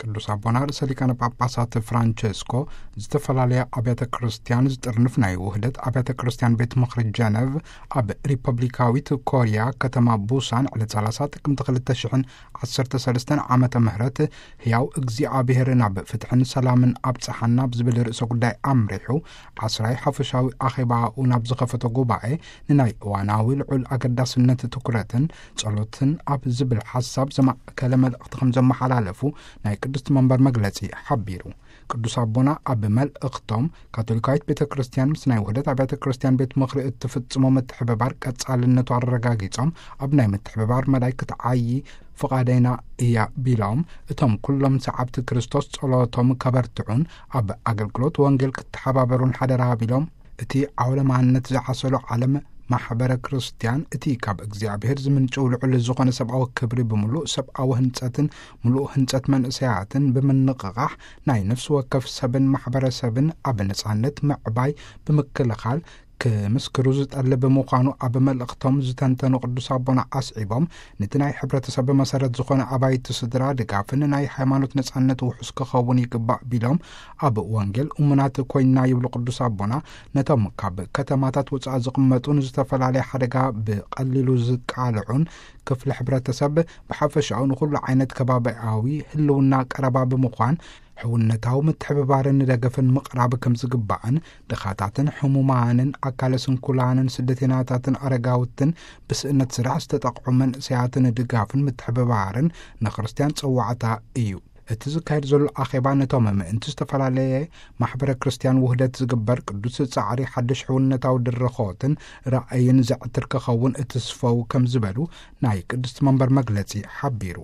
ቅዱስ ኣቦና ርእሰ ሊቃነ ጳጳሳት ፍራንቸስኮ ዝተፈላለያ ኣብያተ ክርስቲያን ዝጥርንፍ ናይ ውህደት ኣብያተ ክርስቲያን ቤት ምኽሪ ጀነቭ ኣብ ሪፐብሊካዊት ኮርያ ከተማ ቡሳን ዕለት ሰላሳ ጥቅምቲ ክልተ ሽሕን ዓሰርተ ሰለስተን ዓመተ ምህረት ህያው እግዚኣብሔር ናብ ፍትሕን ሰላምን ኣብጽሓና ብዝብል ርእሰ ጉዳይ ኣምሪሑ ዓስራይ ሓፈሻዊ ኣኼባኡ ናብ ዝኸፈቶ ጉባኤ ንናይ እዋናዊ ልዑል ኣገዳስነት ትኩረትን ጸሎትን ኣብ ዝብል ሓሳብ ዘማእከለ መልእኽቲ ከም ዘመሓላለፉ ናይ ቅድስቲ መንበር መግለጺ ሓቢሩ። ቅዱስ ኣቦና ኣብ መልእኽቶም ካቶሊካዊት ቤተ ክርስቲያን ምስ ናይ ውህደት ኣብያተ ክርስቲያን ቤት ምኽሪ እትፍጽሞ ምትሕብባር ቀጻልነቱ ኣረጋጊጾም ኣብ ናይ ምትሕብባር መዳይ ክትዓዪ ፍቓደይና እያ ቢሎም እቶም ኩሎም ሰዓብቲ ክርስቶስ ጸሎቶም ከበርትዑን ኣብ ኣገልግሎት ወንጌል ክተሓባበሩን ሓደራ ቢሎም እቲ ዓውለማነት ዝዓሰሎ ዓለም ማሕበረ ክርስቲያን እቲ ካብ እግዚኣብሔር ዝምንጭው ልዑል ዝኾነ ሰብኣዊ ክብሪ ብምሉእ ሰብኣዊ ህንጸትን ምሉእ ህንጸት መንእሰያትን ብምንቕቓሕ ናይ ነፍሲ ወከፍ ሰብን ማሕበረሰብን ኣብ ነጻነት ምዕባይ ብምክልኻል ክምስክሩ ዝጠልብ ምዃኑ ኣብ መልእኽቶም ዝተንተኑ ቅዱስ ኣቦና ኣስዒቦም ነቲ ናይ ሕብረተሰብ መሰረት ዝኾነ ኣባይቲ ስድራ ድጋፍን ናይ ሃይማኖት ነጻነት ውሑስ ክኸውን ይግባእ ቢሎም ኣብ ወንጌል እሙናት ኮይና ይብሉ ቅዱስ ኣቦና ነቶም ካብ ከተማታት ወጻኢ ዝቕመጡን ዝተፈላለየ ሓደጋ ብቐሊሉ ዝቃልዑን ክፍሊ ሕብረተሰብ ብሓፈሻኡ ንኹሉ ዓይነት ከባቢያዊ ህልውና ቀረባ ብምዃን ሕውነታዊ ምትሕብባርን ደገፍን ምቕራብ ከም ዝግባእን ድኻታትን ሕሙማንን ኣካለ ስንኩላንን ስደተኛታትን ኣረጋውትን ብስእነት ስራሕ ዝተጠቕዑ መንእሰያትን ድጋፍን ምትሕብባርን ንክርስትያን ጽዋዕታ እዩ። እቲ ዝካየድ ዘሎ ኣኼባ ነቶም ምእንቲ ዝተፈላለየ ማሕበረ ክርስቲያን ውህደት ዝግበር ቅዱስ ጻዕሪ ሓድሽ ሕውነታዊ ድርኾትን ራእይን ዘዕትር ክኸውን እትስፈው ከም ዝበሉ ናይ ቅድስቲ መንበር መግለጺ ሓቢሩ።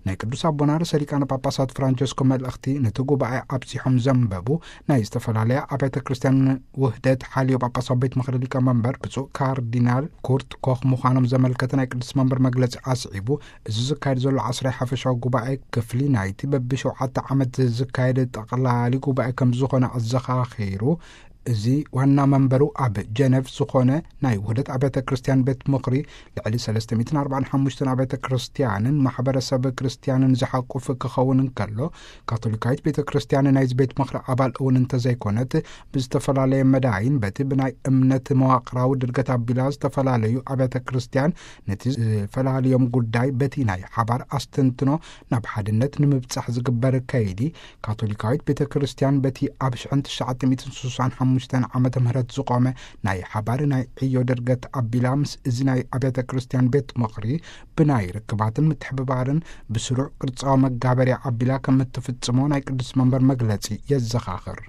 ናይ ቅዱስ ኣቦና ርእሰ ሊቃነ ጳጳሳት ፍራንቸስኮ መልእኽቲ ነቲ ጉባኤ ኣብጺሖም ዘንበቡ ናይ ዝተፈላለያ ኣብያተ ክርስቲያን ውህደት ሓልዮ ጳጳሳዊ ቤት ምኽሪ ሊቀ መንበር ብፁዕ ካርዲናል ኩርት ኮኽ ምዃኖም ዘመልከተ ናይ ቅዱስ መንበር መግለጺ ኣስዒቡ እዚ ዝካየድ ዘሎ ዓስራይ ሓፈሻዊ ጉባኤ ክፍሊ ናይቲ በብሸውዓተ ዓመት ዝካየድ ጠቕላሊ ጉባኤ ከም ዝኾነ ኣዘኻኺሩ እዚ ዋና መንበሩ ኣብ ጀነቭ ዝኾነ ናይ ውህደት ኣብያተ ክርስቲያን ቤት ምኽሪ ልዕሊ ሰለስተ ሚእትን ኣርባዓን ሓሙሽተን ኣብያተ ክርስቲያንን ማሕበረሰብ ክርስቲያንን ዝሓቁፍ ክኸውን እንከሎ ካቶሊካዊት ቤተ ክርስቲያን ናይዚ ቤት ምኽሪ ኣባል እውን እንተዘይኮነት ብዝተፈላለየ መዳይን በቲ ብናይ እምነት መዋቕራዊ ድርገት ኣቢላ ዝተፈላለዩ ኣብያተ ክርስቲያን ነቲ ዝፈላለዮም ጉዳይ በቲ ናይ ሓባር ኣስተንትኖ ናብ ሓድነት ንምብጻሕ ዝግበር ከይዲ ካቶሊካዊት ቤተ ክርስቲያን በቲ ኣብ ሽሕን ትሽዓተ ሚእትን ስሳን ሓሙሽተን ዓመተ ምህረት ዝቖመ ናይ ሓባር ናይ ዕዮ ድርገት ኣቢላ ምስ እዚ ናይ ኣብያተ ክርስቲያን ቤት ምኽሪ ብናይ ርክባትን ምትሕብባርን ብስሩዕ ቅርጻዊ መጋበርያ ኣቢላ ከም እትፍጽሞ ናይ ቅዱስ መንበር መግለጺ የዘኻኽር።